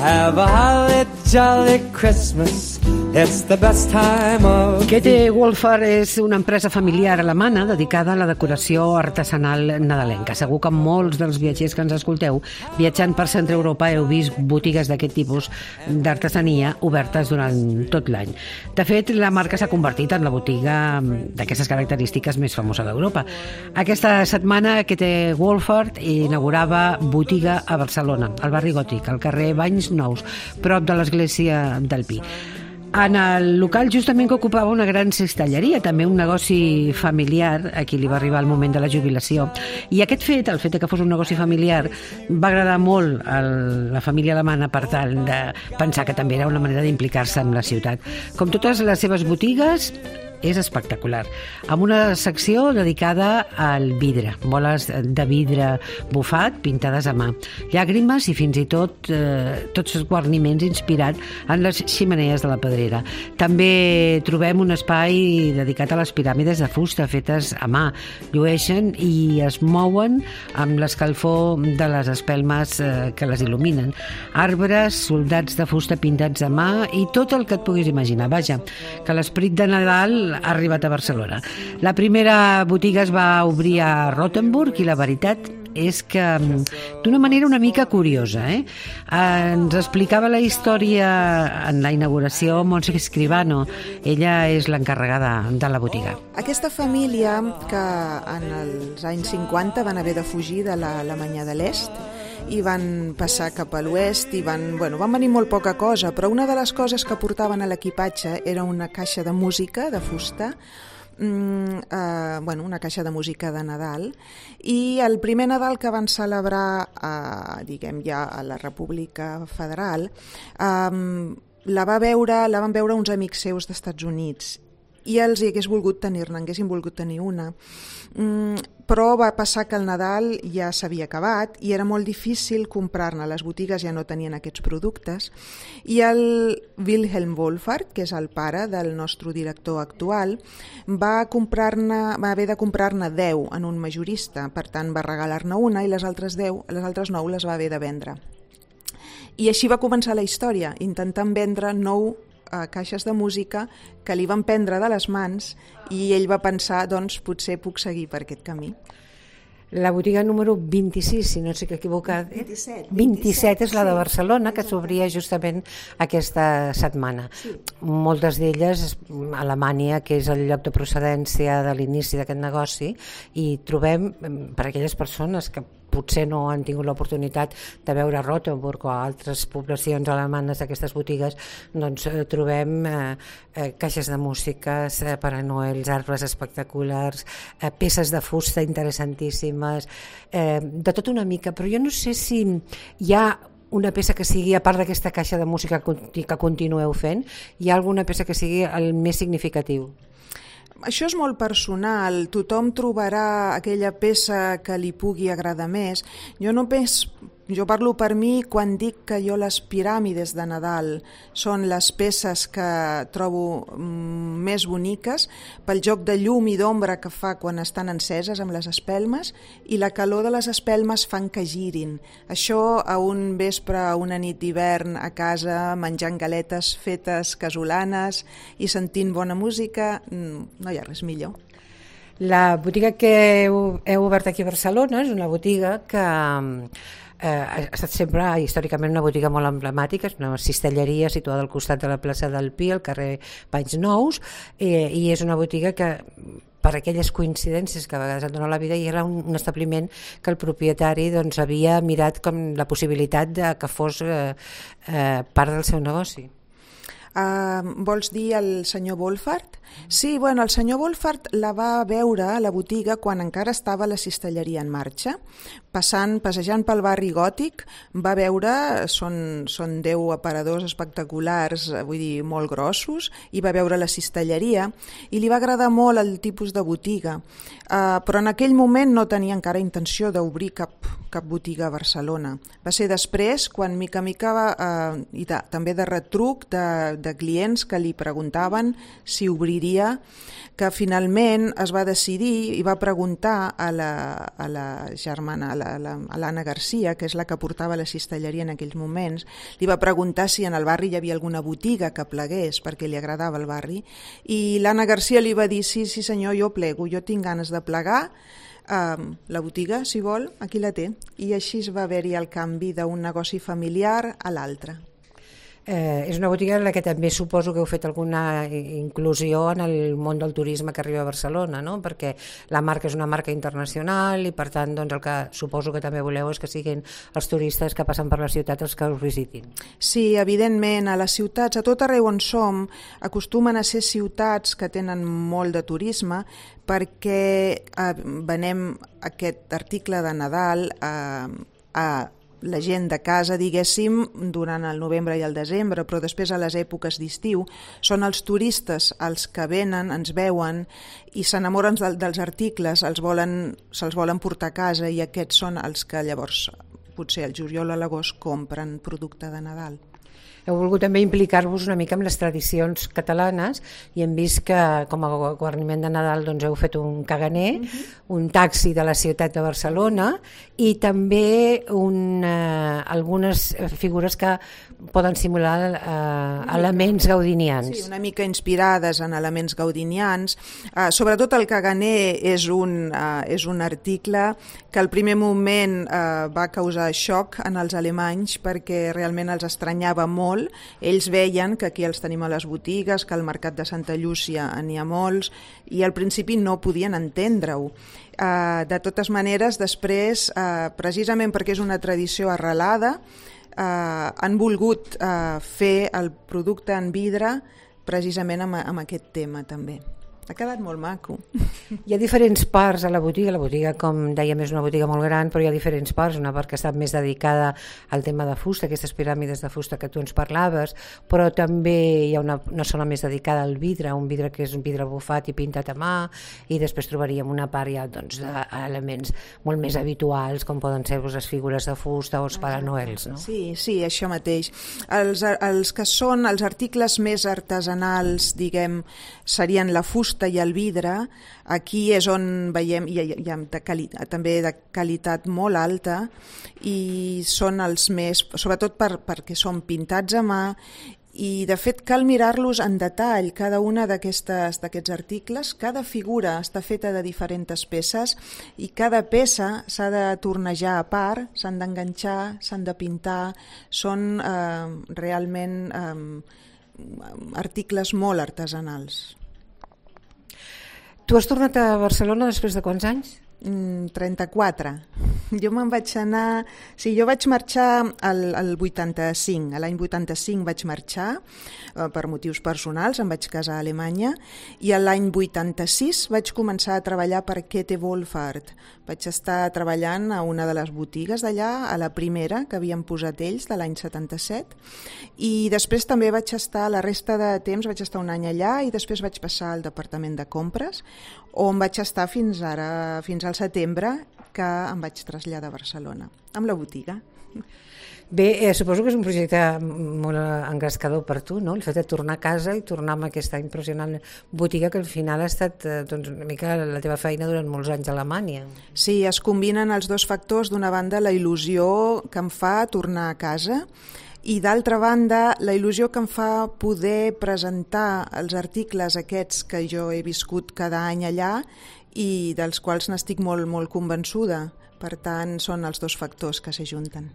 Have a holly jolly Christmas. It's the best time of... Käthe Wohlfahrt és una empresa familiar alemana dedicada a la decoració artesanal nadalenca. Segur que molts dels viatgers que ens escolteu viatjant per centre Europa heu vist botigues d'aquest tipus d'artesania obertes durant tot l'any. De fet, la marca s'ha convertit en la botiga d'aquestes característiques més famosa d'Europa. Aquesta setmana Käthe Wohlfahrt inaugurava botiga a Barcelona, al barri Gòtic, al carrer Banys Nous, prop de l'església del Pi. En el local justament que ocupava una gran cistelleria, també un negoci familiar, a qui li va arribar el moment de la jubilació. I aquest fet, el fet que fos un negoci familiar, va agradar molt a la família alemana per tal de pensar que també era una manera d'implicar-se en la ciutat. Com totes les seves botigues, és espectacular, amb una secció dedicada al vidre, boles de vidre bufat pintades a mà, llàgrimes i fins i tot tots els guarniments inspirats en les ximeneies de la Pedrera. També trobem un espai dedicat a les piràmides de fusta fetes a mà, llueixen i es mouen amb l'escalfor de les espelmes que les il·luminen, arbres, soldats de fusta pintats a mà i tot el que et puguis imaginar. Vaja, que l'esperit de Nadal ha arribat a Barcelona. La primera botiga es va obrir a Rothenburg i la veritat és que d'una manera una mica curiosa. Ens explicava la història en la inauguració Montse Escribano. Ella és l'encarregada de la botiga. Aquesta família que en els anys 50 van haver de fugir de l'Alemanya de l'Est i van passar cap a l'oest i van venir molt poca cosa, però una de les coses que portaven a l'equipatge era una caixa de música de fusta, una caixa de música de Nadal, i el primer Nadal que van celebrar ja a la República Federal la van veure uns amics seus d'Estats Units i els haguessin volgut tenir una. Però va passar que el Nadal ja s'havia acabat i era molt difícil comprar-ne, les botigues ja no tenien aquests productes, i el Wilhelm Wohlfahrt, que és el pare del nostre director actual, va haver de comprar-ne 10 en un majorista, per tant va regalar-ne una i les altres 9 les va haver de vendre. I així va començar la història, intentant vendre 9 caixes de música que li van prendre de les mans i ell va pensar, doncs potser puc seguir per aquest camí. La botiga número 26, si no estic equivocat, 27 és la de Barcelona, que s'obria justament aquesta setmana. Sí. Moltes d'elles, Alemanya, que és el lloc de procedència de l'inici d'aquest negoci, i trobem, per aquelles persones que potser no han tingut l'oportunitat de veure Rothenburg o altres poblacions alemanes d'aquestes botigues, doncs trobem caixes de músiques, Pare Noel, arbres espectaculars, peces de fusta interessantíssimes, de tot una mica, però jo no sé si hi ha una peça que sigui, a part d'aquesta caixa de música que continueu fent, hi ha alguna peça que sigui el més significatiu? Això és molt personal, tothom trobarà aquella peça que li pugui agradar més. Jo parlo per mi quan dic que jo les piràmides de Nadal són les peces que trobo més boniques pel joc de llum i d'ombra que fa quan estan enceses amb les espelmes, i la calor de les espelmes fan que girin. Això a un vespre, a una nit d'hivern a casa, menjant galetes fetes casolanes i sentint bona música, no hi ha res millor. La botiga que heu obert aquí a Barcelona és una botiga que ha estat sempre històricament una botiga molt emblemàtica, és una cistelleria situada al costat de la plaça del Pi, al carrer Banys Nous, i és una botiga que, per aquelles coincidències que a vegades et dona la vida, i era un establiment que el propietari havia mirat com la possibilitat de que fos part del seu negoci. Vols dir el senyor Wohlfahrt? Sí, el senyor Wohlfahrt la va veure a la botiga quan encara estava la cistelleria en marxa. Passejant pel barri Gòtic, va veure, són 10 aparadors espectaculars, vull dir, molt grossos, i va veure la cistelleria i li va agradar molt el tipus de botiga. Però en aquell moment no tenia encara intenció d'obrir cap botiga a Barcelona. Va ser després quan mica en mica, i també de retruc, de clients que li preguntaven si obriria, que finalment es va decidir i va preguntar a la germana, a l'Anna Garcia, que és la que portava la cistelleria en aquells moments, li va preguntar si en el barri hi havia alguna botiga que plegués, perquè li agradava el barri, i l'Anna Garcia li va dir, sí senyor, jo plego, jo tinc ganes de plegar, la botiga, si vol, aquí la té. I així va haver-hi el canvi d'un negoci familiar a l'altre. És una botiga en la que també suposo que heu fet alguna inclusió en el món del turisme que arriba a Barcelona, no? Perquè la marca és una marca internacional i per tant doncs, el que suposo que també voleu és que siguin els turistes que passen per la ciutat els que us visitin. Sí, evidentment, a les ciutats, a tot arreu on som, acostumen a ser ciutats que tenen molt de turisme perquè venem aquest article de Nadal a la gent de casa, diguéssim, durant el novembre i el desembre, però després a les èpoques d'estiu són els turistes els que venen, ens veuen i s'enamoren dels articles, se'ls volen portar a casa i aquests són els que llavors, potser al juliol o a l'agost, compren producte de Nadal. Heu volgut també implicar-vos una mica amb les tradicions catalanes i hem vist que com a guarniment de Nadal doncs, heu fet un caganer, un taxi de la ciutat de Barcelona i també algunes figures que poden simular elements gaudinians. Sí, una mica inspirades en elements gaudinians. Sobretot el caganer és un article que al primer moment va causar xoc en els alemanys perquè realment els estranyava molt. Ells veien que aquí els tenim a les botigues, que al mercat de Santa Llúcia n'hi ha molts i al principi no podien entendre-ho. De totes maneres, després, precisament perquè és una tradició arrelada, han volgut fer el producte en vidre precisament amb aquest tema també. Ha quedat molt maco. Hi ha diferents parts a la botiga, com dèiem, és una botiga molt gran, però hi ha diferents parts, una part que està més dedicada al tema de fusta, aquestes piràmides de fusta que tu ens parlaves, però també hi ha una zona més dedicada al vidre, un vidre que és un vidre bufat i pintat a mà, i després trobaríem una part ja d'elements molt més habituals, com poden ser les figures de fusta o els Pare Noels, no? Sí, això mateix. Els que són els articles més artesanals, diguem, serien la fusta i el vidre. Aquí és on veiem hi ha també de qualitat molt alta i són els més, sobretot perquè són pintats a mà i de fet cal mirar-los en detall, cada una d'aquests articles, cada figura està feta de diferents peces i cada peça s'ha de tornejar a part, s'han d'enganxar, s'han de pintar, són realment articles molt artesanals. Tu has tornat a Barcelona després de quants anys? 34. Jo me'n vaig anar... Sí, jo vaig marxar al 85. A l'any 85 vaig marxar per motius personals, em vaig casar a Alemanya i a l'any 86 vaig començar a treballar per Kette Wohlfahrt. Vaig estar treballant a una de les botigues d'allà, a la primera que havien posat ells de l'any 77 i després també vaig estar, la resta de temps vaig estar un any allà i després vaig passar al departament de compres on vaig estar fins al setembre que em vaig traslladar a Barcelona, amb la botiga. Bé, suposo que és un projecte molt engrescador per tu, no? El fet de tornar a casa i tornar amb aquesta impressionant botiga que al final ha estat una mica la teva feina durant molts anys a Alemanya. Sí, es combinen els dos factors, d'una banda la il·lusió que em fa tornar a casa i d'altra banda la il·lusió que em fa poder presentar els articles aquests que jo he viscut cada any allà i dels quals n'estic molt, molt convençuda. Per tant, són els dos factors que s'ajunten.